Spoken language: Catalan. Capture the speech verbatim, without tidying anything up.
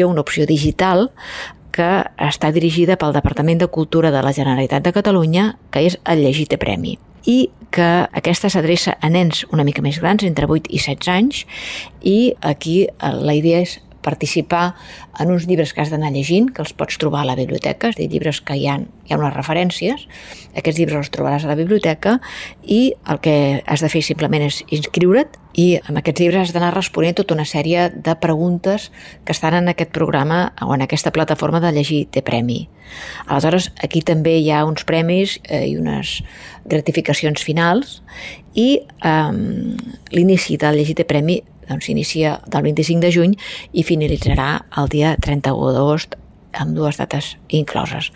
una opció digital que està dirigida pel Departament de Cultura de la Generalitat de Catalunya, que és el Llegir té premi, i que aquesta s'adreça a nens una mica més grans, entre vuit i setze anys, i aquí la idea és participar en uns llibres que has d'anar llegint, que els pots trobar a la biblioteca, és a dir, llibres que hi ha, hi ha unes referències, aquests llibres els trobaràs a la biblioteca i el que has de fer simplement és inscriure't i amb aquests llibres has d'anar responent tota una sèrie de preguntes que estan en aquest programa o en aquesta plataforma de Llegir té premi. Aleshores, aquí també hi ha uns premis eh, i unes gratificacions finals i eh, l'inici del Llegir té premi doncs s'inicia del vint-i-cinc de juny i finalitzarà el dia trenta-u d'agost amb dues dates incloses.